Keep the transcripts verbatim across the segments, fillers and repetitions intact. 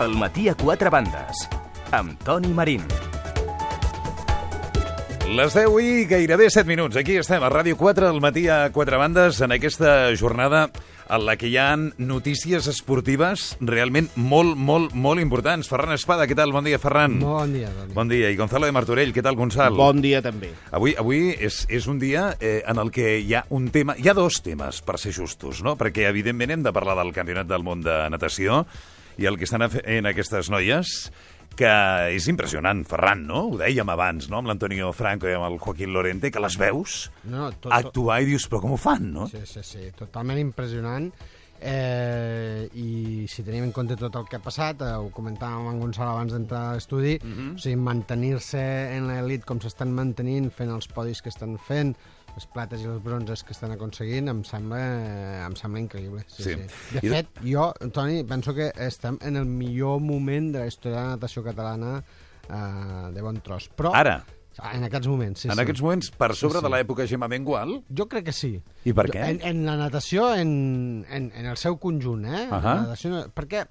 El matí a quatre bandes, amb Toni Marín. Les deu i gairebé set minuts. Aquí estem, a Ràdio quatre, al matí a quatre bandes, en aquesta jornada en la que hi ha notícies esportives realment molt, molt, molt importants. Ferran Espada, què tal? Bon dia, Ferran. Bon dia, Toni. Bon dia. I Gonzalo de Martorell, què tal, Gonzalo? Bon dia, també. Avui, avui és, és un dia eh, en el que hi ha un tema... Hi ha dos temes, per ser justos, no? Perquè, evidentment, hem de parlar del Campionat del Món de Natació i el que estan fent aquestes noies, que és impressionant, Ferran, no? Ho dèiem abans, no?, amb l'Antonio Franco i amb el Joaquín Lorente, que les veus no, no, tot, actuar i dius, però com ho fan, no? Sí, sí, sí, totalment impressionant. Eh, I si tenim en compte tot el que ha passat, eh, ho comentàvem amb Gonçalo abans d'entrar a l'estudi, Mhm. o sigui, mantenir-se en l'elit com s'estan mantenint, fent els podis que estan fent, les plates i els bronzes que estan aconseguint, em sembla, em sembla increïble. Sí, Sí. sí. De I- fet, jo, Toni, penso que estem en el millor moment de la història de la natació catalana eh, de bon tros. Però, Ara, en aquests moments, sí, en sí. aquests moments, per sobre Sí, de sí. l'època Gemma Mengual, Jo crec que sí. I per què? En, en la natació, en, en, en el seu conjunt, eh? Ahà. La natació, perquè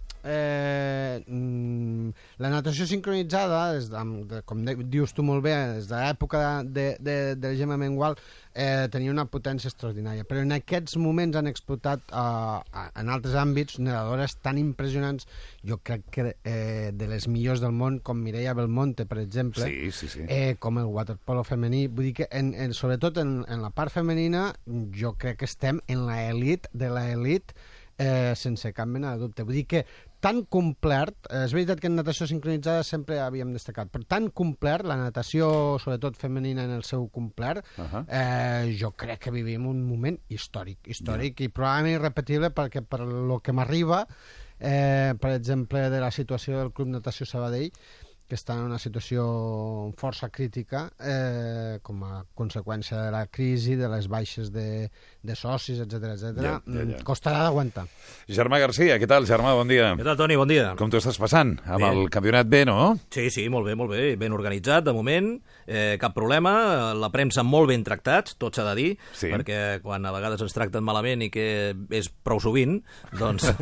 eh, mm, la natació sincronitzada, des de, de, com de, dius tu molt bé, des de l'època de, de, de la Gemma Mengual, eh, tenia una potència extraordinària. Però en aquests moments han explotat eh, en altres àmbits nedadores tan impressionants, jo crec que eh, de les millors del món, com Mireia Belmonte, per exemple, sí, sí, sí. eh, com el waterpolo femení. Vull dir que, en, en, sobretot en, en la part femenina, jo crec que estem en l'elit de l'elit eh, sense cap mena de dubte. Vull dir que tan complert, eh, és veritat que en natació sincronitzada sempre havíem destacat, però tan complert, la natació, sobretot femenina en el seu complert, Ahà. eh, jo crec que vivim un moment històric, històric yeah. i probablement irrepetible, perquè per lo que m'arriba, eh, per exemple, de la situació del Club Natació Sabadell, que està en una situació força crítica eh, com a conseqüència de la crisi, de les baixes de, de socis, etcètera, etcètera. Ja, ja, ja. Costarà d'aguantar. Germà Garcia, què tal, Germà? Bon dia. Què tal, Toni? Bon dia. Com t'ho estàs passant? Amb Bé. el campionat B, no? Sí, sí, molt bé, molt bé. Ben organitzat, de moment. Eh, cap problema. La premsa molt ben tractats, tot s'ha de dir, Sí. perquè quan a vegades ens tracten malament i que és prou sovint, doncs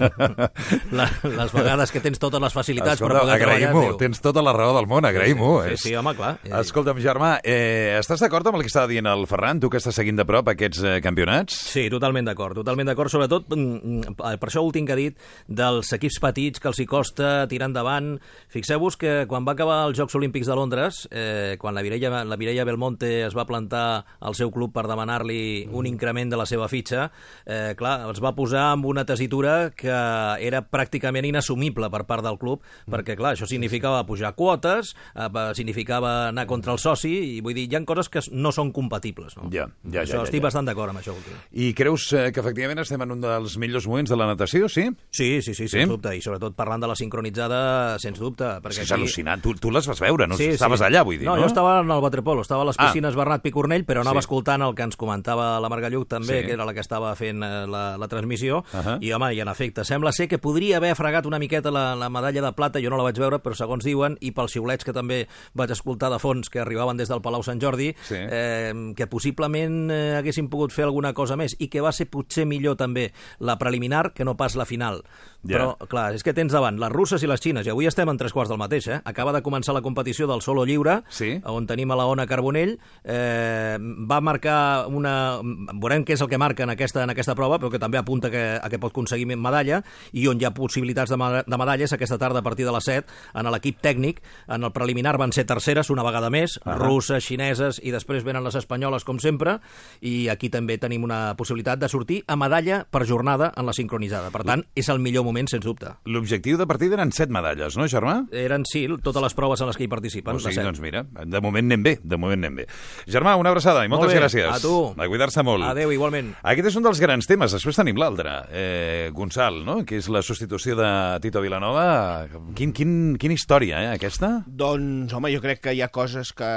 la, les vegades que tens totes les facilitats Escolta, per poder treballar... agraïm-ho. diu, Tens tota la raó del món, agraïm-ho. Sí, És- sí, home, clar. Eh, Escolta'm, Germà, eh, estàs d'acord amb el que estava dient el Ferran, tu que estàs seguint de prop aquests eh, campionats? Sí, totalment d'acord, totalment d'acord, sobretot mm, per això últim que ha dit dels equips petits que els hi costa tirar endavant. Fixeu-vos que quan va acabar els Jocs Olímpics de Londres, eh, quan la Mireia, la Mireia Belmonte es va plantar al seu club per demanar-li un increment de la seva fitxa, eh, clar, els va posar amb una tessitura que era pràcticament inassumible per part del club, perquè clar, això significava pujar quotes, eh, significava anar contra el soci, i vull dir, hi ha coses que no són compatibles, no? Ja, ja, ja, Això, ja, estic ja. bastant d'acord amb això últim. I creus eh, que efectivament estem en un dels millors moments de la natació, sí? Sí, sí, sí, Sí? sens dubte, i sobretot parlant de la sincronitzada, sens dubte. Perquè És al·lucinant. Tu, tu les vas veure, no? Sí, Estaves sí. allà, vull dir, no? no? Jo estava en el waterpolo, estava a les Ah. piscines Bernat Picornell, però anava Sí. escoltant el que ens comentava la Marga Lluc també, Sí. que era la que estava fent eh, la, la transmissió, Ahà. i home, i en efecte, sembla ser que podria haver fregat una miqueta la, la medalla de plata, jo no la vaig veure, però segons diuen, i pels xiulets que també vaig escoltar de fons que arribaven des del Palau Sant Jordi, Sí. eh, que possiblement eh, haguessin pogut fer alguna cosa més, i que va ser potser millor també la preliminar que no pas la final. Ja. Però, clar, és que tens davant les russes i les xines, i avui estem en tres quarts del mateix, eh? Acaba de començar la competició del solo lliure, Sí. on tenim a la Ona Carbonell, eh, va marcar una... Veurem què és el que marca en aquesta, en aquesta prova, però que també apunta que, a que pot aconseguir medalla, i on hi ha possibilitats de, ma de medalles aquesta tarda a partir de les set, en l'equip tècnic. En el preliminar van ser terceres una vegada més, Ahà. russes, xineses, i després venen les espanyoles, com sempre, i aquí també tenim una possibilitat de sortir a medalla per jornada en la sincronitzada. Per tant, és el millor moment, sens dubte. L'objectiu de partida eren set medalles, no, Germà? Eren, sí, totes les proves en les que hi participen. O sigui, les set. doncs mira, de moment anem bé, de moment anem bé. Germà, una abraçada i moltes Molt bé, gràcies. a tu. A cuidar-se molt. Adéu, igualment. Aquest és un dels grans temes. Després tenim l'altre, eh, Gonçal, no? Que és la substitució de Tito Vilanova. Quin, quin, quina història, eh, aquesta? Doncs, home, jo crec que hi ha coses que,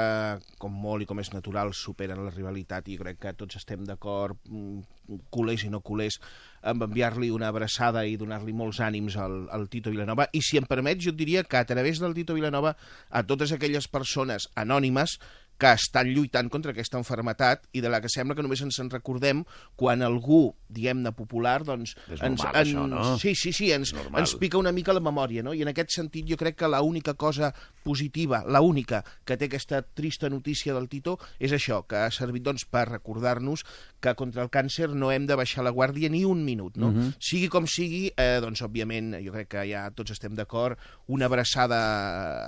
com molt i com és natural, superen la rivalitat, i jo crec que tots estem d'acord, mm, culers i no culers, amb enviar-li una abraçada i donar-li molts ànims al, al Tito Vilanova. I si em permets, jo et diria que a través del Tito Vilanova, a totes aquelles persones anònimes que estan lluitant contra aquesta enfermetat i de la que sembla que només ens en recordem quan algú diguem-ne, popular, doncs... És ens, normal, ens, això, no? Sí, sí, sí, ens, ens pica una mica la memòria, no? I en aquest sentit jo crec que l'única cosa positiva, l'única que té aquesta trista notícia del Tito és això, que ha servit doncs, per recordar-nos que contra el càncer no hem de baixar la guàrdia ni un minut, no? Uh-huh. Sigui com sigui, eh, doncs, òbviament, jo crec que ja tots estem d'acord, una abraçada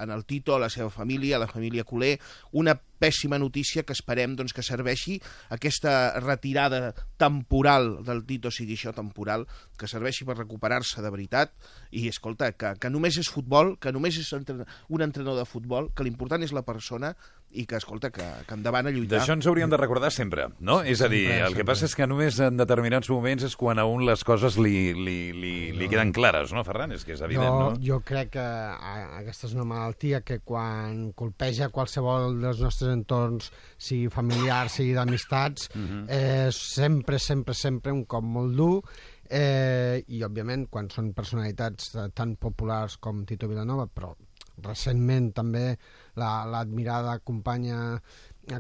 en el Tito, a la seva família, a la família Culer, una pèssima notícia que esperem doncs, que serveixi aquesta retirada temporal del Tito, sigui això temporal, que serveixi per recuperar-se de veritat i, escolta, que, que només és futbol, que només és un entrenador de futbol, que l'important és la persona i que, escolta, que, que endavant a lluitar. D'això ens hauríem de recordar sempre, no? És a dir, Sempre, el que sempre. passa és que només en determinats moments és quan a un les coses li, li, li, li queden clares, no, Ferran? És que és evident, jo, no? jo crec que a, aquesta és una malaltia que quan colpeja qualsevol dels nostres entorns, sigui familiar, sigui d'amistats, uh-huh. eh, sempre, sempre, sempre un cop molt dur, eh, i òbviament quan són personalitats tan populars com Tito Vilanova, però recentment també l'admirada la, companya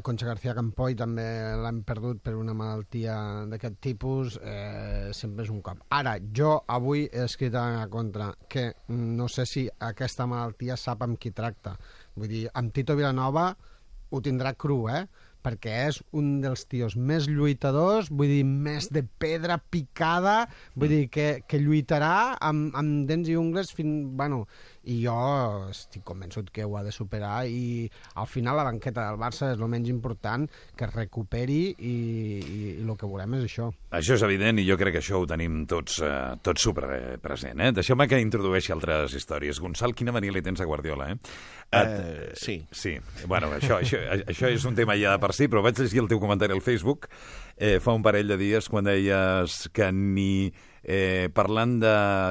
Concha García Campoy també l'han perdut per una malaltia d'aquest tipus, eh, sempre és un cop. Ara, jo avui he escrit a contra que no sé si aquesta malaltia sap amb qui tracta. Vull dir, amb Tito Vilanova ho tindrà cru, eh? Perquè és un dels tios més lluitadors, vull dir, més de pedra picada, vull dir, que, que lluitarà amb, amb dents i ungles fins... Bueno, i jo estic convençut que ho ha de superar i al final la banqueta del Barça és el menys important, que es recuperi i, i, i el que volem és això. Això és evident i jo crec que això ho tenim tots, eh, tots super present. Eh? Deixeu-me que introdueixi altres històries. Gonçal, quina mania li tens a Guardiola, eh? Et... Uh, sí. Sí, bueno, això, això, això és un tema ja de per si, però vaig llegir el teu comentari al Facebook eh, fa un parell de dies quan deies que ni... Eh, parlant de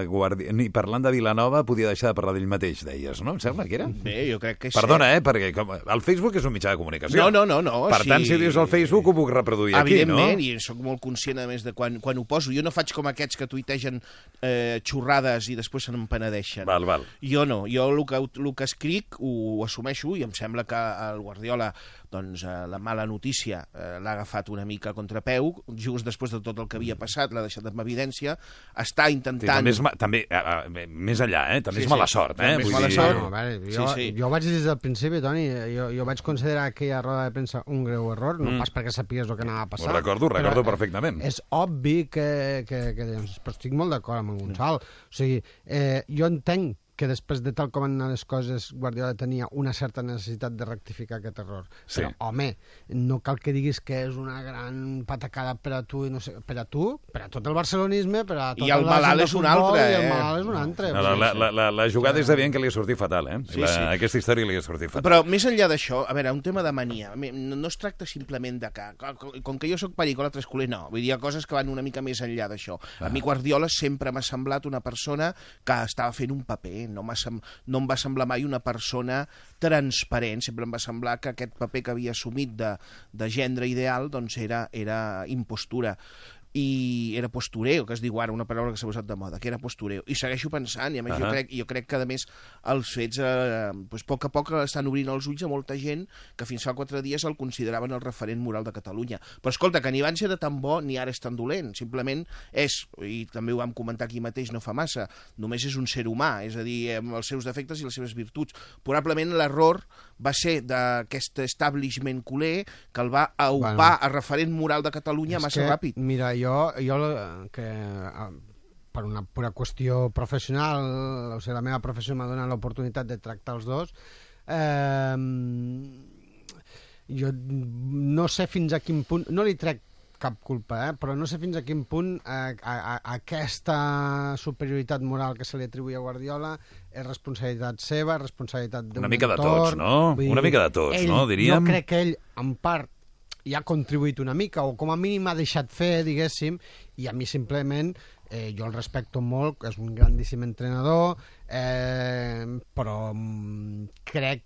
Guardi... ni parlant de Vilanova podia deixar de parlar d'ell mateix, deies, no? Em sembla que era? Bé, jo crec que és Perdona, cert. eh, perquè com... el Facebook és un mitjà de comunicació. No, no, no. no per sí. tant, si ho dius al Facebook ho puc reproduir aquí, no? Evidentment, i soc molt conscient, a més, de quan, quan ho poso. Jo no faig com aquests que tuitegen eh, xorrades i després se n'empenedeixen. Val, val. Jo no. Jo el que, el que escric ho, ho assumeixo i em sembla que el Guardiola doncs, eh, la mala notícia eh, l'ha agafat una mica a contrapeu, just després de tot el que havia passat, l'ha deixat en evidència, està intentant... Sí, també, és, ma- també eh, eh, més enllà, eh? També Sí, és sí. mala sort, eh? També és Vull mala dir- sort. No, a veure, jo, Sí, sí. jo vaig dir des del principi, Toni, jo, jo vaig considerar aquella roda de premsa un greu error, no Mm. pas perquè sapies el que anava a passar. Ho recordo, ho recordo però, eh, perfectament. És obvi que... que, que doncs, però estic molt d'acord amb en Gonçal. O sigui, eh, jo entenc que després de tal com han anat les coses, Guardiola tenia una certa necessitat de rectificar aquest error. Sí. Però, home, no cal que diguis que és una gran patacada per a tu, i no sé, per a tu, per a tot el barcelonisme, per a tota I el la gent malalt de és un futbol, altre, i el eh? malalt és un altre. No, la, la, la, la, la jugada és evident que li ha sortit fatal, eh? Sí, la, sí. Aquesta història li ha sortit fatal. Però més enllà d'això, a veure, un tema de mania, no, no es tracta simplement de que, com que jo sóc perico, l'altre és culer, no. Vull dir, hi ha coses que van una mica més enllà d'això. Ah. A mi Guardiola sempre m'ha semblat una persona que estava fent un paper, no, sem no em va semblar mai una persona transparent, sempre em va semblar que aquest paper que havia assumit de, de gendre ideal doncs era, era impostura. I era postureo, que es diu ara, una paraula que s'ha posat de moda, que era postureo. I segueixo pensant, i a més uh -huh. jo, crec, jo crec que a més els fets eh, doncs, a poc a poc estan obrint els ulls a molta gent que fins fa quatre dies el consideraven el referent moral de Catalunya. Però escolta, que ni abans era tan bo ni ara és tan dolent, simplement és, i també ho vam comentar aquí mateix no fa massa, només és un ser humà, és a dir, amb els seus defectes i les seves virtuts. Probablement l'error va ser d'aquest establishment culer que el va aupar bueno, a referent moral de Catalunya massa que, ràpid. Mira, jo, jo que per una pura qüestió professional, o sigui, la meva professió m'ha donat l'oportunitat de tractar els dos, eh, jo no sé fins a quin punt, no li trec cap culpa, eh? Però no sé fins a quin punt eh, a, a, aquesta superioritat moral que se li atribuïa a Guardiola és responsabilitat seva, responsabilitat d'un Una mica de entorn. tots, no? Vull dir, Una mica de tots, ell, no? Diríem... Jo crec que ell, en part, hi ha contribuït una mica, o com a mínim ha deixat fer, diguéssim, i a mi simplement, eh, jo el respecto molt, és un grandíssim entrenador, eh, però mm, crec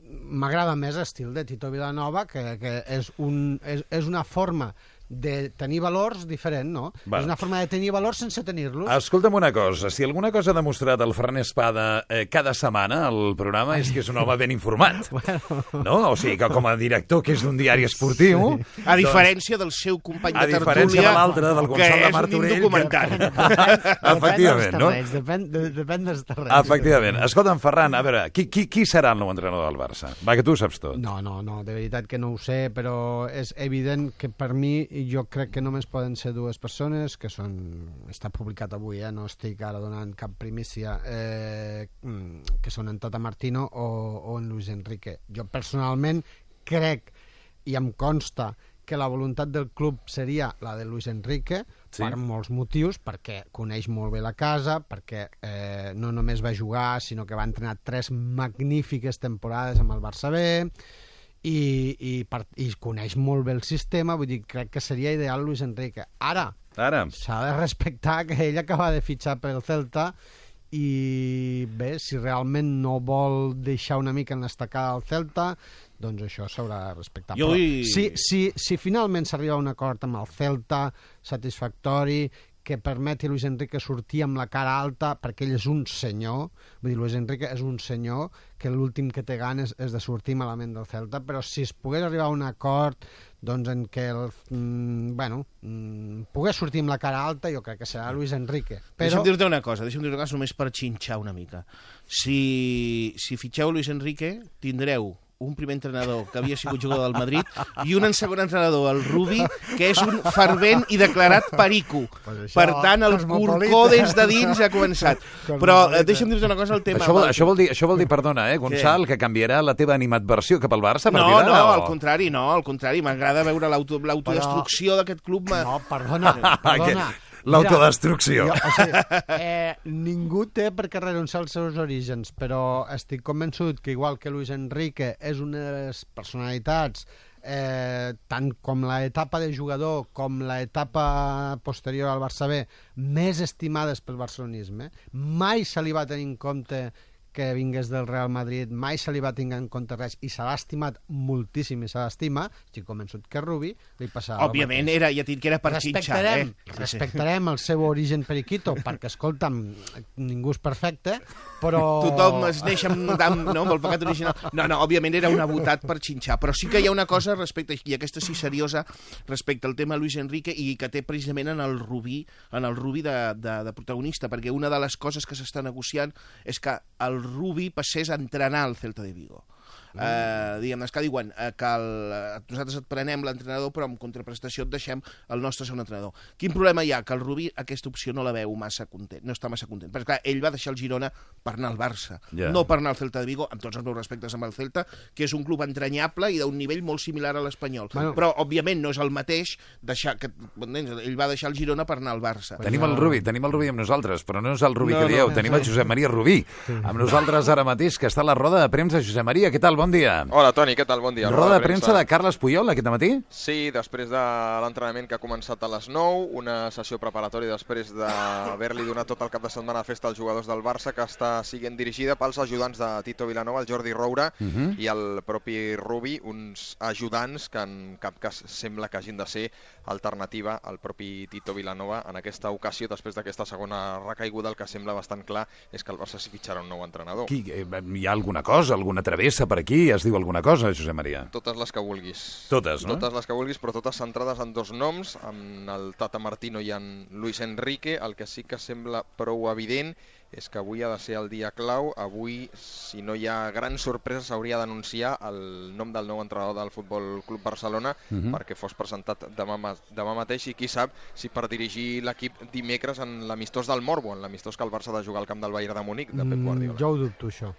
m'agrada més l'estil de Tito Vilanova, que, que és, un, és, és una forma de tenir valors diferent, no? Va. És una forma de tenir valors sense tenir-los. Escolta'm una cosa, si alguna cosa ha demostrat el Ferran Espada eh, cada setmana al programa és que és un home ben informat. Bueno. No? O sigui que com a director que és d'un diari esportiu... Sí. A diferència del seu company A de diferència tertúlia, de l'altre, del Gonçal de Martorell, que és un indocumentat. Efectivament, no? Depèn, de, depèn dels terrenys. Efectivament. Escolta'm, Ferran, a veure, qui, qui, qui serà el nou entrenador del Barça? Va, que tu ho saps tot. No, no, no, de veritat que no ho sé, però és evident que per mi jo crec que només poden ser dues persones, que són... Està publicat avui, eh? No estic ara donant cap primícia, eh, que són en Tata Martino o, o en Luis Enrique. Jo personalment crec, i em consta, que la voluntat del club seria la de Luis Enrique, sí, per molts motius, perquè coneix molt bé la casa, perquè eh, no només va jugar, sinó que va entrenar tres magnífiques temporades amb el Barça B, i, i, per, i coneix molt bé el sistema, vull dir, crec que seria ideal Luis Enrique. Ara, Ara. s'ha de respectar que ell acaba de fitxar pel Celta i bé, si realment no vol deixar una mica en l'estacada al Celta, doncs això s'haurà de respectar. Jo Però vull... si, si, si finalment s'arriba a un acord amb el Celta satisfactori, que permeti a Luis Enrique sortir amb la cara alta, perquè ell és un senyor, vull dir, Luis Enrique és un senyor, que l'últim que té ganes és de sortir malament del Celta, però si es pogués arribar a un acord doncs en què el, mm, bueno, mm, pogués sortir amb la cara alta, jo crec que serà Luis Enrique. Però... Deixa'm dir-te una cosa, deixa'm dir-te una cosa només per xinxar una mica. Si, si fitxeu Luis Enrique, tindreu un primer entrenador que havia sigut jugador del Madrid i un segon entrenador, el Rubi, que és un fervent i declarat perico. Pues això, per tant, el corcó des de dins ha començat. Però eh, deixa'm dir-te una cosa, el tema... Això vol, això vol dir, això vol dir, perdona, eh, Gonçal, que canviarà la teva animadversió cap al Barça? Per No, mirar, no, o... al contrari, no, al contrari. M'agrada veure l'auto- l'autodestrucció d'aquest club. Ma... No, perdona, perdona. L'autodestrucció. Mira, jo, o sigui, eh, ningú té per què renunciar als seus orígens, però estic convençut que igual que Luis Enrique és una de les personalitats, eh, tant com l'etapa de jugador com l'etapa posterior al Barça B, més estimades pel barcelonisme, mai se li va tenir en compte que vingués del Real Madrid, mai se li va tenir en compte res, i se l'ha estimat moltíssim i se l'estima, estic convençut que Rubi li passarà Òbviament, era, ja tinc que era per xinxar, eh? Respectarem el seu origen periquito, perquè, escolta'm, ningú és perfecte, però... Tothom es neix amb, amb, no, amb el pecat original. No, no, òbviament era una botat per xinxar, però sí que hi ha una cosa respecte, i aquesta sí seriosa, respecte al tema Luis Enrique, i que té precisament en el Rubí, en el Rubí de, de, de protagonista, perquè una de les coses que s'està negociant és que el Rubi passés a entrenar al Celta de Vigo. Mm. Eh, diguem, és que diuen eh, que el, nosaltres et prenem l'entrenador però amb contraprestació et deixem el nostre segon entrenador. Quin problema hi ha? Que el Rubí aquesta opció no la veu massa content, no està massa content, perquè clar, ell va deixar el Girona per anar al Barça, yeah. no per anar al Celta de Vigo, amb tots els meus respectes amb el Celta, que és un club entranyable i d'un nivell molt similar a l'Espanyol, bueno. Però òbviament no és el mateix deixar que, ell va deixar el Girona per anar al Barça. Tenim el Rubí, tenim el Rubí amb nosaltres, però no és el Rubí no, que dieu, no, tenim el Josep Maria Rubí amb nosaltres ara mateix, que està a la roda de premsa. Josep Maria, què tal? Bon dia. Hola, Toni, què tal? Bon dia. Roda de premsa de Carles Puyol aquest matí? Sí, després de l'entrenament que ha començat a les nou, una sessió preparatòria després d'haver-li donat tot el cap de setmana a festa als jugadors del Barça, que està siguent dirigida pels ajudants de Tito Vilanova, el Jordi Roura uh -huh. i el propi Rubi, uns ajudants que en cap cas sembla que hagin de ser alternativa al propi Tito Vilanova. En aquesta ocasió, després d'aquesta segona recaiguda, el que sembla bastant clar és que el Barça s'hi fitxarà un nou entrenador. Qui, eh, hi ha alguna cosa, alguna travessa per aquí? Es diu alguna cosa, Josep Maria? Totes les que vulguis. Totes, no? Totes les que vulguis, però totes centrades en dos noms, en el Tata Martino i en Luis Enrique. El que sí que sembla prou evident és que avui ha de ser el dia clau. Avui, si no hi ha grans sorpreses, s'hauria d'anunciar el nom del nou entrenador del Futbol Club Barcelona uh -huh. perquè fos presentat demà, demà mateix, i qui sap si per dirigir l'equip dimecres en l'amistós del Morbo, en l'amistós que el Barça ha de jugar al camp del Bayern de Múnich, de Pep Guardiola. Mm, jo ho dubto, això.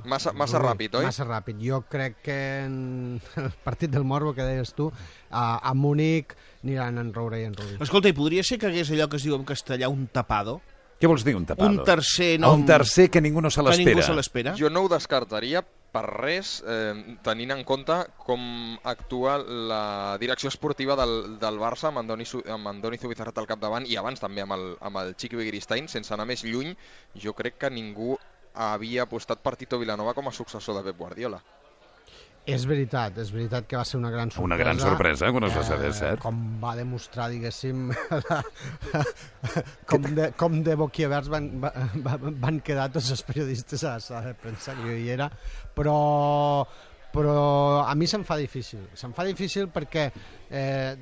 Massa, massa ràpid, oi? Massa ràpid. Jo crec que en el partit del Morbo, que deies tu, a, a Múnich aniran en Roura i en Rubí. Escolta, i podria ser que hagués allò que es diu en castellà un tapado? Què vols dir, un tapado? Un tercer nom... Un tercer que ningú no se l'espera. Que ningú se l'espera. Jo no ho descartaria per res, eh, tenint en compte com actua la direcció esportiva del, del Barça amb Andoni, amb Andoni Zubizarreta al capdavant, i abans també amb el, amb el Chiqui Begiristain. Sense anar més lluny, jo crec que ningú havia apostat per Tito Vilanova com a successor de Pep Guardiola. És veritat, és veritat que va ser una gran sorpresa. Una gran sorpresa, quan es va saber, cert. Com va demostrar, diguéssim, la, com, de, com de boquiaberts van, van, van quedar tots els periodistes a la sala de premsa, que jo hi era, però, però a mi se'm fa difícil. Se'm fa difícil perquè eh,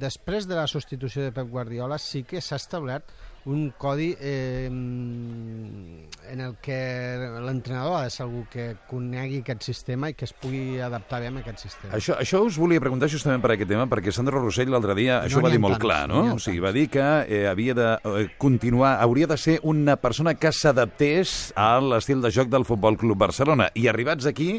després de la substitució de Pep Guardiola sí que s'ha establert un codi eh, en el que l'entrenador ha de ser algú que conegui aquest sistema i que es pugui adaptar bé a aquest sistema. Això, això us volia preguntar justament per aquest tema, perquè Sandro Rossell l'altre dia no això ho va dir molt tants, clar, no? no O sigui, va dir que eh, havia de eh, continuar, hauria de ser una persona que s'adaptés a l'estil de joc del Futbol Club Barcelona. I arribats aquí,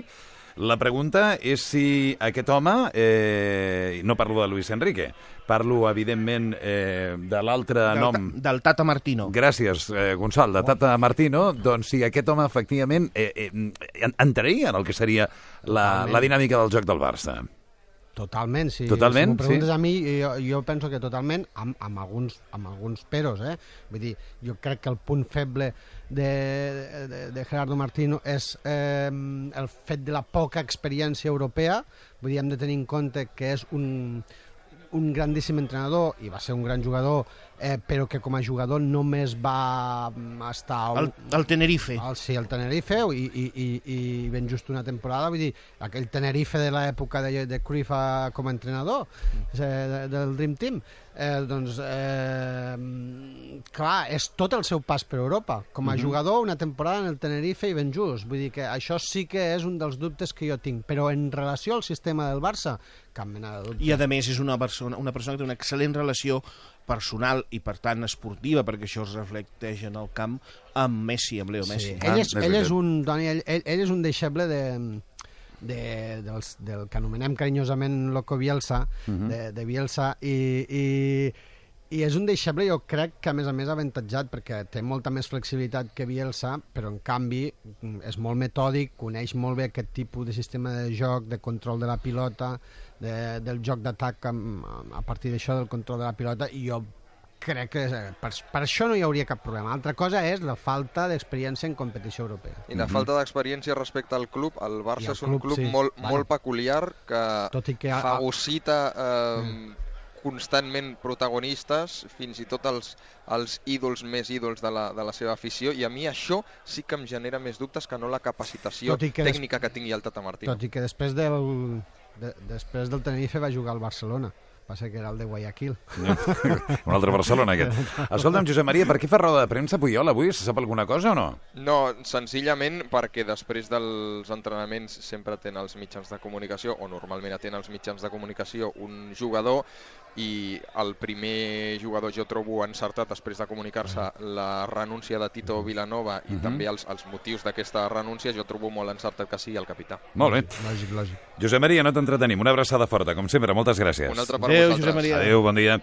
la pregunta és si aquest home, eh, no parlo de Luis Enrique, parlo, evidentment, eh, de l'altre Del, nom... del Tata Martino. Gràcies, eh, Gonçal, de Tata Martino. Doncs si aquest home, efectivament, eh, eh, entraria en el que seria la, la dinàmica del joc del Barça. Totalment, si, totalment, si m'ho preguntes sí. a mi, jo, jo penso que totalment, amb, amb, alguns, amb alguns peros, eh? Vull dir, jo crec que el punt feble de, de, de Gerardo Martino és eh, el fet de la poca experiència europea. Vull dir, hem de tenir en compte que és un, un grandíssim entrenador i va ser un gran jugador, eh, però que com a jugador només va estar... El, el Tenerife. El, sí, el Tenerife, i, i, i, i ben just una temporada, vull dir, aquell Tenerife de l'època de, de Cruyff com a entrenador de, del Dream Team, eh, doncs, eh, clar, és tot el seu pas per Europa. Com a uh-huh. jugador, una temporada en el Tenerife i ben just. Vull dir que això sí que és un dels dubtes que jo tinc, però en relació al sistema del Barça, cap mena de dubte. I a més és una persona, una persona que té una excel·lent relació personal i per tant esportiva, perquè això es reflecteix en el camp, amb Messi, amb Leo Messi. Sí. Ell, és, ell, és un, Toni, ell, ell, ell és un deixeble de, de, dels, del que anomenem carinyosament Loco Bielsa, uh-huh. de, de Bielsa, i, i, i és un deixeble, jo crec que a més a més avantatjat, perquè té molta més flexibilitat que Bielsa, però en canvi és molt metòdic, coneix molt bé aquest tipus de sistema de joc, de control de la pilota, de, del joc d'atac a, a partir d'això, del control de la pilota, i jo crec que per, per això no hi hauria cap problema. Altra cosa és la falta d'experiència en competició europea. I la falta d'experiència respecte al club. El Barça és un club, club sí. molt, Bueno. molt peculiar que, Tot i que ha- fagocita eh, Mm. constantment protagonistes, fins i tot els, els ídols més ídols de la, de la seva afició, i a mi això sí que em genera més dubtes que no la capacitació Tot i que des- tècnica que tingui el Tata Martino. Tot i que després del, de, després del Tenerife va jugar al Barcelona. Passa que era el de Guayaquil. Un altre Barcelona, aquest. Escolta'm, Josep Maria, per què fa roda de premsa Puyol avui? Se sap alguna cosa o no? No, senzillament perquè després dels entrenaments sempre atén els mitjans de comunicació, o normalment atén els mitjans de comunicació un jugador, i el primer jugador jo trobo encertat després de comunicar-se la renúncia de Tito Vilanova i Mhm. també els, els motius d'aquesta renúncia, jo trobo molt encertat que sigui el capità. Molt bé. Lògic, lògic. Josep Maria, no t'entretenim. Una abraçada forta, com sempre. Moltes gràcies. Una altra per Adéu, vosaltres. Josep Maria. Adéu, bon dia.